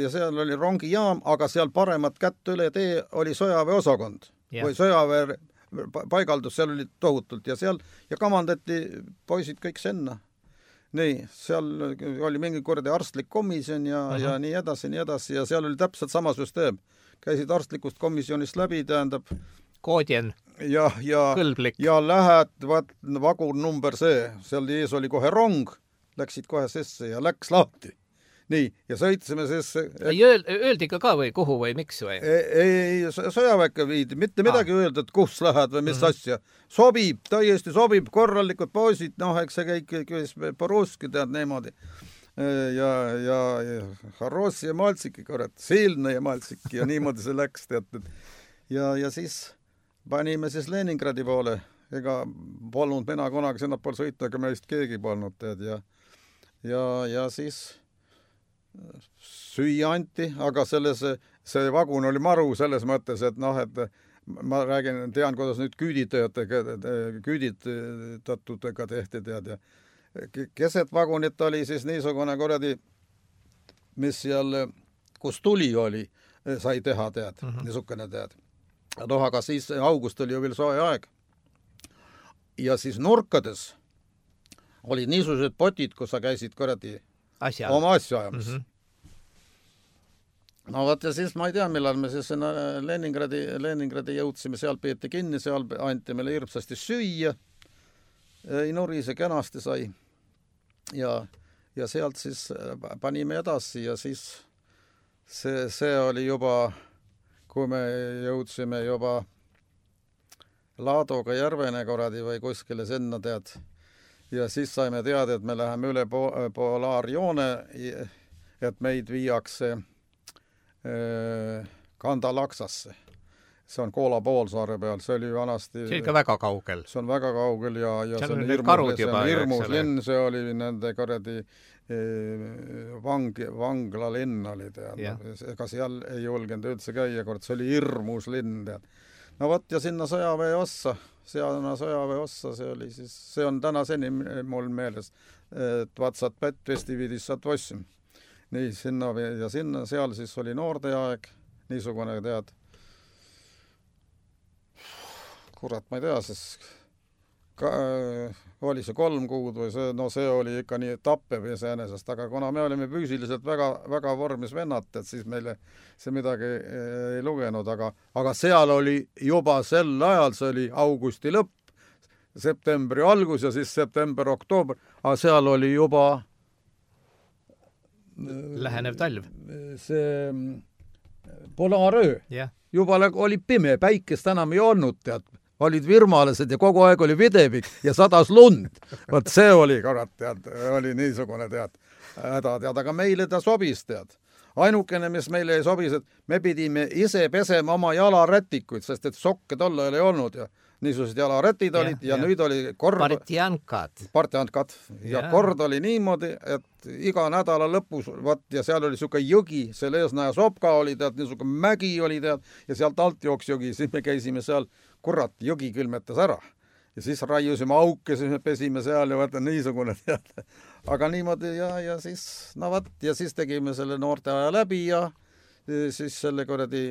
seal oli rongijaam, aga seal paremat kätt üle tee oli sõjaväeosakond. Või sõjaväe paigaldus, seal oli tohutult ja kamandati poisid kõik senna. Nii, seal oli mingi kordi arstlik komisjon ja nii edasi ja seal oli täpselt sama süsteem. Käisid arstlikust komisjonist läbi, tähendab koodjen, kõlblik. Ja lähed, vagun number see, seal ees oli kohe rong, läksid kohe sisse ja läks lahti. Nii, ja sõitsime sisse. Öeldi ka või kuhu või miks või? Ei, sõjaväkke viidi, mitte midagi öelda, et kus lähed või mis asja. Sobib, täiesti sobib, korralikud poisid, eks see kõik по-русски tead niimoodi. Ja Harossi ja Maltsiki, kurat, Silna ja Maltsiki ja niimoodi see läks, tead. Ja siis panime siis Leningradi poole. Ega polnud mina kunagi sinna pool sõitnud, aga meist keegi polnud, tead. Ja siis süüa anti, aga see vagun oli maru selles mõttes, et et ma tean, kuidas nüüd küüditatutega tehti, tead, ja keset vagunit oli siis niisugune kuradi, mis seal, kus tuli oli, sai teha, tead, niisugune, tead. Aga siis august oli ju veel soe aeg. Ja siis nurkades olid niisugused potid, kus sa käisid kuradi oma asju ajamas. No võt, ja siis ma ei tea, millal me siis Leningradi jõudsime, seal peeti kinni, seal anti meile hirmsasti süüa, ei nurise kenasti sai ja sealt siis panime edasi ja siis see oli juba, kui me jõudsime juba Laadoga Järvene korradi või kuskile sinna tead ja siis saime teada, et me läheme üle polaarjoone, et meid viiakse Kandalaksasse. See on Koola poolsaare peal, see oli vanasti... See oli ka väga kaugel. See on väga kaugel ja see on hirmus linn, see oli nende korradi vangla linn oli tead. Ega seal ei julgenud üldse käia, kord see oli hirmus linn tead. No võt, ja sinna sõjaväe ossa, see oli siis, see on tänaseni mul meeles, et vatsad pätvesti vidissad vossum. Nii, sinna ja sinna, seal siis oli noorteaeg, niisugune tead. Kurat, ma ei tea, siis oli see 3 kuud või see, no see oli ikka nii tappev iseenesest, aga kuna me olime füüsiliselt väga, väga vormis vennad, et siis meile see midagi ei lugenud, aga seal oli juba sel ajal, see oli augusti lõpp, septembri algus ja siis september-oktoober, aga seal oli juba lähenev talv. See polaaröö. Juba oli pime, päikest enam ei olnud, tead. Olid virmalased ja kogu aeg oli videvik ja sadas lund. Võt see oli, kurat, tead, oli niisugune, tead, häda, tead, aga meile ta sobis, tead. Ainukene, mis meile ei sobis, et me pidime ise pesema oma jalarätikuid, sest et sokke tolle ei olnud ja niisugused jalarätid olid ja nüüd oli kord... Partiankad. Ja kord oli niimoodi, et iga nädala lõpus, ja seal oli siuke jõgi, seal Eesnaja Sopka oli, tead, niisugune mägi oli, tead, ja sealt alt jooks jõgi, siis me käisime seal, kurat, jõgi külmetas ära. Ja siis raiusime auke, siis me pesime seal ja vaata niisugune, tead. Aga niimoodi ja siis, no vaat, ja siis tegime selle noorte aja läbi ja siis selle korradi...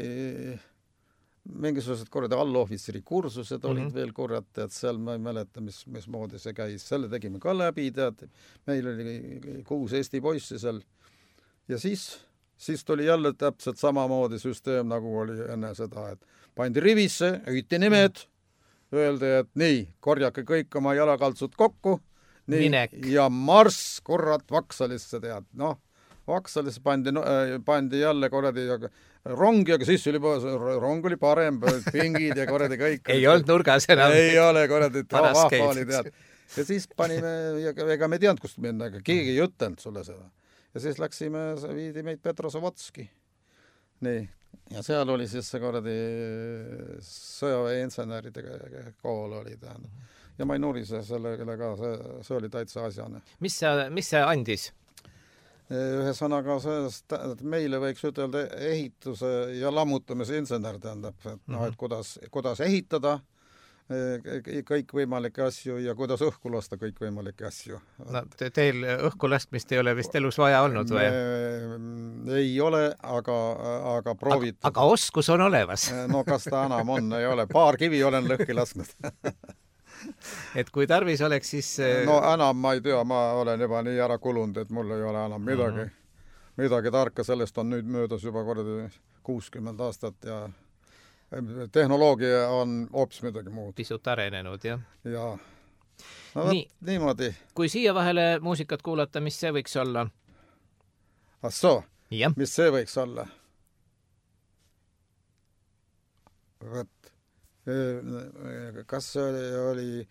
mingisugused korrad allohvitseri kursused olid veel korrad, et seal ma ei mäleta, mis moodi see käis. Selle tegime ka läbi, tead. Meil oli 6 Eesti poissi seal. Ja siis tuli jälle täpselt samamoodi süsteem, nagu oli enne seda, et pandi rivisse, hüüti nimed, öeldi, et nii, korjake kõik oma jalakaltsud kokku, nii, ja marss, korrat, Vaksalisse, tead. Noh, Vaksalisse pandi jälle korradi rongi, aga siis oli rong oli parem, pingid ja korradi kõik. Ei olnud nurgas enam. Ei ole korradi, vahva oli tead. Ja siis panime, ega me teadnud, kust minna, aga keegi ei ütelnud sulle seda. Ja siis läksime, viidi meid Petrosavodski. Nii, ja seal oli siis see korradi sõjaväe inseneride kool oli tähendab. Ja ma ei nurise sellele ka, see oli täitsa asjane. Mis see andis? Ühesõnaga, meile võiks ütelda ehituse ja lammutamise insener tähendab, et kuidas ehitada kõikvõimalikke asju ja kuidas õhku lasta kõikvõimalikke asju. No, teil õhku lastmist ei ole vist elus vaja olnud või? Ei ole, aga prooviti. Aga oskus on olemas. No kas ta enam on, ei ole. Paar kivi olen lõhki lasknud. Et kui tarvis oleks, siis... No enam ma ei tea, ma olen juba nii ära kulunud, et mul ei ole enam midagi tarka, sellest on nüüd möödas juba korda 60 aastat ja tehnoloogia on hoopis midagi muud. Pisut arenenud, jah. Ja. No niimoodi. Kui siia vahele muusikat kuulata, mis see võiks olla? Mis see võiks olla? Kas see oli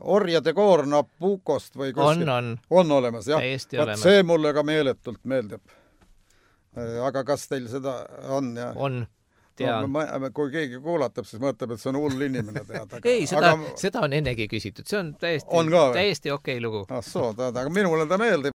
Orjade koor Nabucost või kuskil? On olemas, jah. See mulle ka meeletult meeldib. Aga kas teil seda on? Ja? On, tean. No, kui keegi kuulatab, siis mõtleb, et see on hull inimene tead. Ei, seda on ennegi küsitud. See on täiesti okei lugu. Aga minule ta meeldib.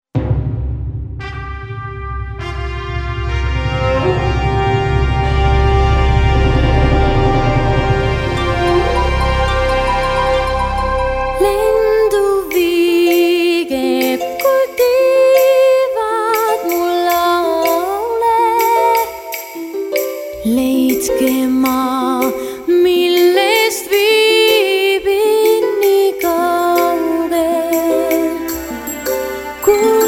Millest viibin nii kaugel, kui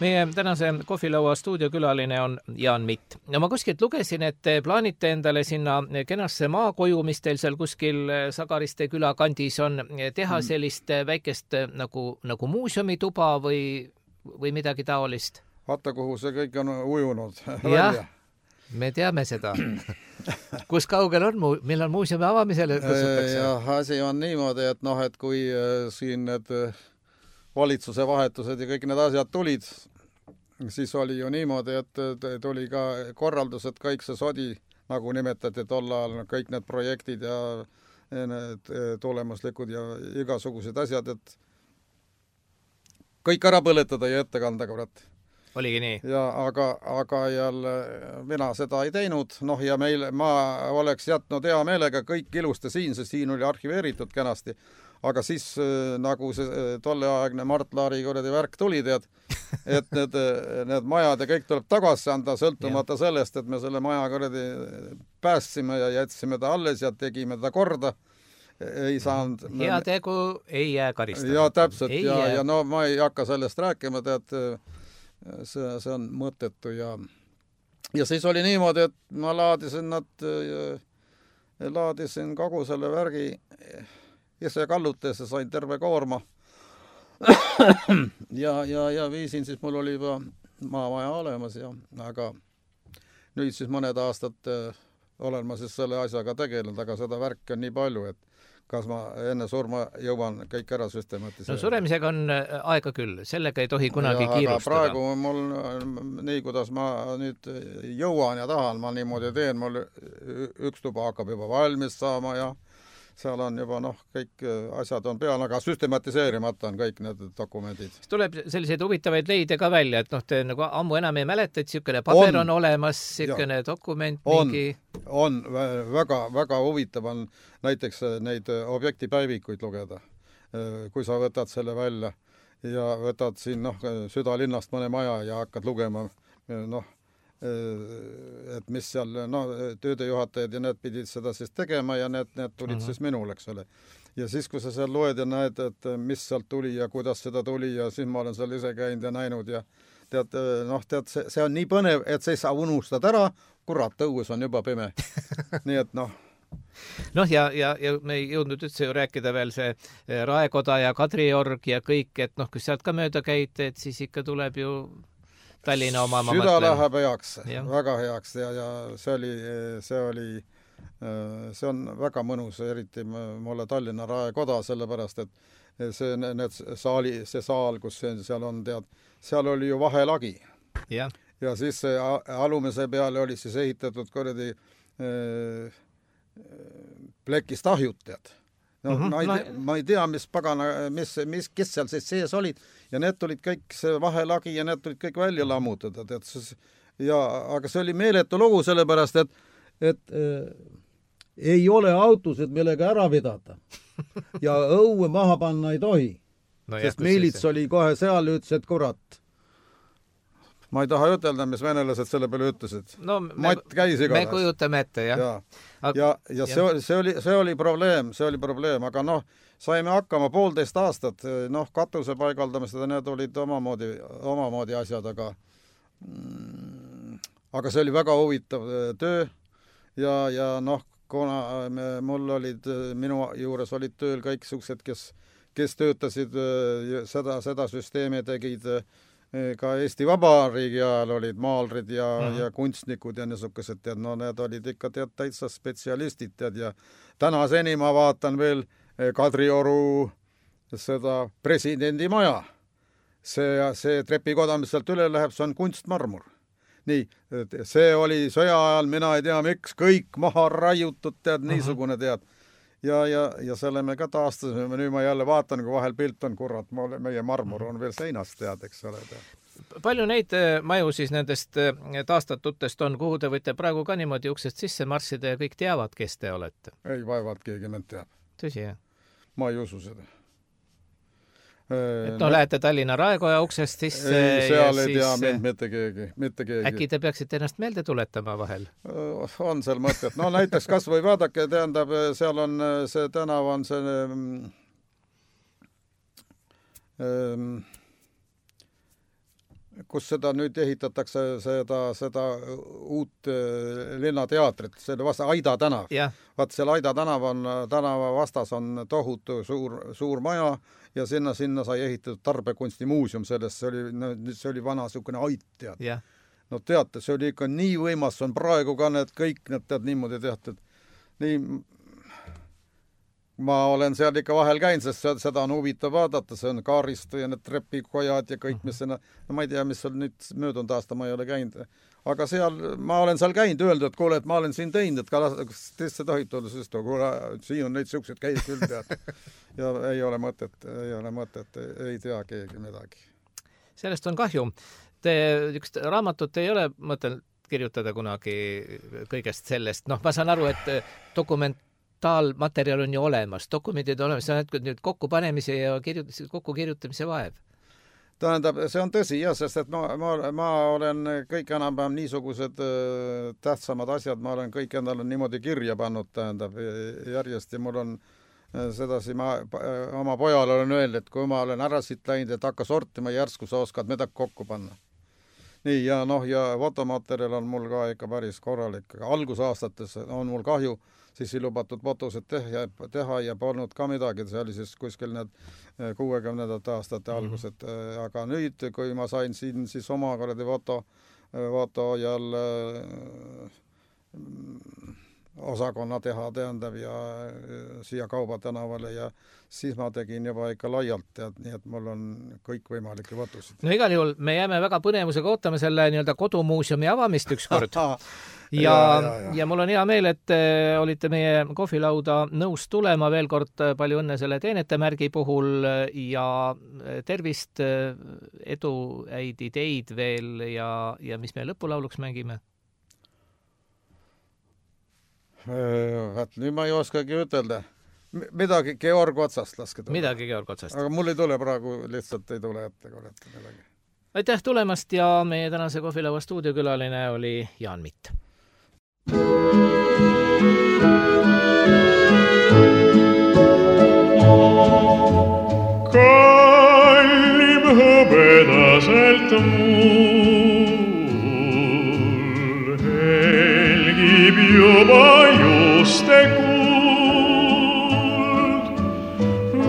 Meie tänase kohvilaua stuudiokülaline on Jaan Mitt. No ma kuskilt lugesin, et te plaanite endale sinna kenasse maakoju, mis teil seal kuskil Sagariste küla kandis on, teha sellist väikest nagu muuseumituba või midagi taolist? Vaata, kuhu see kõik on ujunud. Jah, me teame seda. Kus kaugel on, millal muuseumi avamisele kutsutakse? Jah, asi on niimoodi, et et kui siin need valitsuse vahetused ja kõik need asjad tulid, siis oli ju niimoodi, et tuli ka korraldus, et kõik see sodi, nagu nimetati tol ajal, kõik need projektid ja need tulemuslikud ja igasugused asjad, et kõik ära põletada ja ette kanda, kurat. Oligi nii? Ja, aga jälle mina seda ei teinud, ja ma oleks jätnud hea meelega kõik ilusti siin, sest siin oli arhiveeritud kenasti, aga siis nagu see tolleaegne Mart Laari värk tuli, tead, et need majad ja kõik tuleb tagasi anda, sõltumata sellest, et me selle maja päästsime ja jätsime ta alles ja tegime ta korda. Ei saanud... Hea tegu ei jää karistada. Ja täpselt, ja ma ei hakka sellest rääkima, tead, see on mõttetu ja siis oli niimoodi, et ma laadisin kogu selle värgi ise kallutes ja sain terve koorma ja viisin, siis mul oli juba maamaja olemas aga nüüd siis mõned aastad olen ma siis selle asjaga tegelenud, aga seda värki on nii palju, et kas ma enne surma jõuan kõik ära süstematiseerida. No suremisega on aega küll, sellega ei tohi kunagi kiirustada. Aga praegu mul nii, kuidas ma nüüd jõuan ja tahan, ma niimoodi teen, mul üks tuba hakkab juba valmis saama ja seal on juba kõik asjad on peal, aga süstematiseerimata on kõik need dokumendid. Tuleb selliseid huvitavaid leide ka välja, et te nagu ammu enam ei mäleta, et siukene paber on olemas, siukene dokument mingi... On väga, väga huvitav on näiteks neid objektipäevikuid lugeda, kui sa võtad selle välja ja võtad siin südalinnast mõne maja ja hakkad lugema, et mis seal, töödejuhatajad ja need pidid seda siis tegema ja need tulid siis minul, eks ole. Ja siis, kui sa seal loed ja näed, et mis sealt tuli ja kuidas seda tuli ja siis ma olen seal ise käinud ja näinud ja tead, see on nii põnev, et sa unustad ära, kurat, õues on juba pime. Nii et ja me ei jõudnud üldse ju rääkida veel see Raekoda ja Kadriorg ja kõik, et kui sealt ka mööda käid, et siis ikka tuleb ju Tallinna oma süda läheb heaks, väga heaks ja see on väga mõnus, eriti mulle Tallinna Raekoda, sellepärast, et see saal, kus seal on, tead, seal oli ju vahelagi. Ja siis alumise peale oli siis ehitatud plekist ahjud, tead. Ma ei tea, mis pagana, kes seal sees olid ja need tulid kõik, see vahelagi ja need tulid kõik välja lammutada, tead. Aga see oli meeletu lugu, sellepärast, et ei ole autosid, millega ära vedada ja õue maha panna ei tohi, sest miilits oli kohe seal, ütles, et kurat. Ma ei taha ütelda, mis venelased selle peale ütlesid. Matt käis igatahes. Me kujutame ette, jah. Ja see oli probleem, aga saime hakkama 1,5 aastat, katuse paigaldamist, need olid omamoodi asjad, aga see oli väga huvitav töö ja kuna minu juures olid tööl kõik suksed, kes töötasid seda süsteemi, tegid ka Eesti Vabariigi ajal olid maalrid ja kunstnikud ja niisugused, tead, need olid ikka täitsa spetsialistid, tead, ja tänaseni ma vaatan veel Kadrioru seda presidendi maja. See trepikoda, mis sealt üle läheb, see on kunstmarmur. Nii, see oli sõja ajal, mina ei tea miks, kõik maha raiutud, tead, niisugune, tead. Ja selle me ka taastasime, nüüd ma jälle vaatan, kui vahel pilt on, kurat, meie marmur on veel seinast, tead, eks ole. Palju neid maju siis nendest taastatutest on, kuhu te võite praegu ka niimoodi uksest sisse marssida ja kõik teavad, kes te olete? Ei, vaevalt keegi mind teab. Tõsi, jah? Ma ei usu seda. Lähete Tallinna Raekoja uksest sisse seal ei tea mind mitte keegi. Äkki te peaksite ennast meelde tuletama vahel? On seal mõtet. Näiteks kas või vaadake, tähendab, seal on see tänav on see kus seda nüüd ehitatakse seda uut linnateatrit, selle vasta Aida tänav. Vaat seal Aida tänava vastas on tohutu suur maja ja sinna sai ehitatud tarbekunstimuuseum sellest, see oli vana niisugune ait, tead. No teate, see oli ikka nii võimas, on praegu ka kõik need tead niimoodi tehtud. Nii, ma olen seal ikka vahel käinud, sest seda on huvitav vaadata, see on kaaristu ja need trepikojad ja kõik, mis sinna, no ma ei tea, mis seal nüüd möödunud aasta ma ei ole käinud. Aga ma olen seal käinud, öeldud, et kuule, et ma olen siin teinud, et kas teisse tohib tulla, sest kuule, siin on neid siuksed käid küll tead. Ja ei ole mõtet, ei tea keegi midagi. Sellest on kahju. Üks raamatut ei ole mõtelnud kirjutada kunagi kõigest sellest. Noh, ma saan aru, et dokumentaalmaterjal on ju olemas, dokumendid on olemas, see on nüüd kokkupanemise ja kokkukirjutamise vaev. Tähendab, see on tõsi, jah, sest et ma olen kõik enam-vähem niisugused tähtsamad asjad, ma olen kõik endale niimoodi kirja pannud, tähendab, järjest ja mul on sedasi, ma oma pojale olen öelnud, et kui ma olen ära siit läinud, et hakka sortima järsku, sa oskad midagi kokku panna. Nii, ja fotomaterjal on mul ka ikka päris korralik. Algusaastates on mul kahju, siis ei lubatud fotosid teha ja polnud ka midagi, see oli siis kuskil need 60. aastate algused. Aga nüüd, kui ma sain siin siis oma foto jälle osakonna teha tähendab ja siia Kauba tänavale ja siis ma tegin juba ikka laialt, tead, nii et mul on kõik võimalikke fotosid. No igal juhul me jääme väga põnevusega ootama selle nii-öelda kodumuuseumi avamist ükskord. Ja mul on hea meel, et olite meie kohvilauda nõus tulema. Veel kord palju õnne selle teenetemärgi puhul ja tervist, edu, häid ideid veel ja mis me lõpulauluks mängime? Nüüd ma ei oskagi ütelda. Midagi Georg Otsast laske tulla. Midagi Georg Otsast. Aga mul ei tule praegu, lihtsalt ei tule ette midagi. Aitäh tulemast ja meie tänase kohvilaua stuudiokülaline oli Jaan Mitt. Kallim hõbedaselt mul helgib juba juste kuld.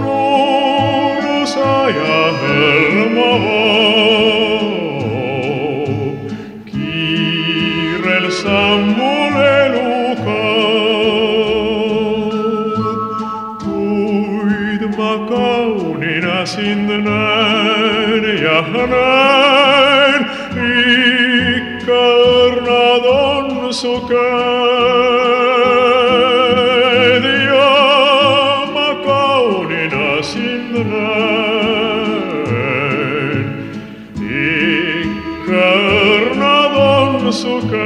Noorusaja hõlma voob, kiirel sammul elu kaob. Kuid ma kaunina sind näen ja näen, ikka õrnad on su käed ja ma kaunina sind näen, ikka õrnad on su käed.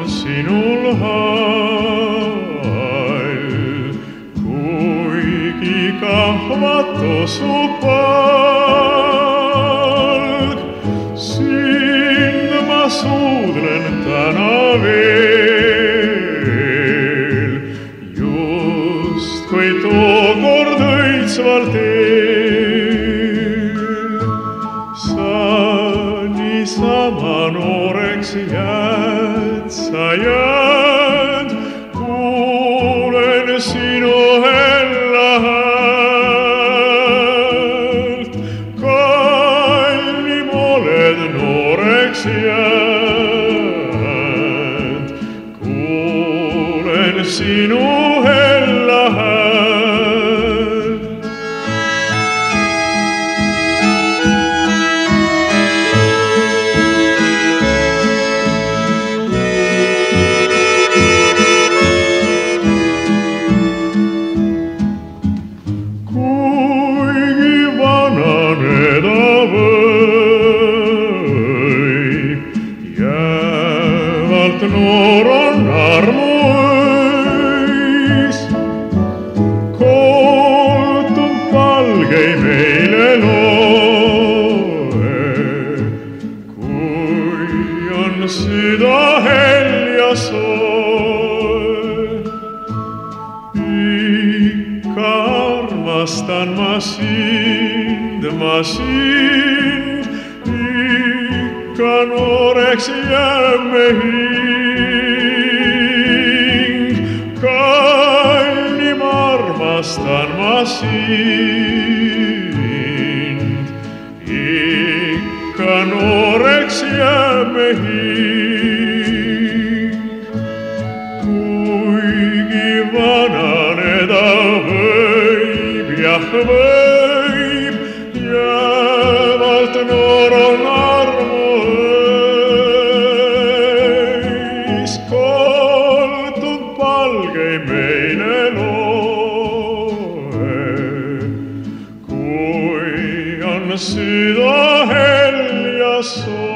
Sinul hall, kuigi kahvatu su palk, sind ma suudlen täna veel, just kui tookord õitsval teel. Sa niisama nooreks jääd, sa jääd, kuulen sinu hella häält. ma sind, ikka nooreks jääme hing. Kallim armastan ma sind, ikka nooreks jääme hing. Kuigi vananeda võib, jah võib, jäävalt noor on armu öis. Koltub palgei meile loe, kui on süda helja soo.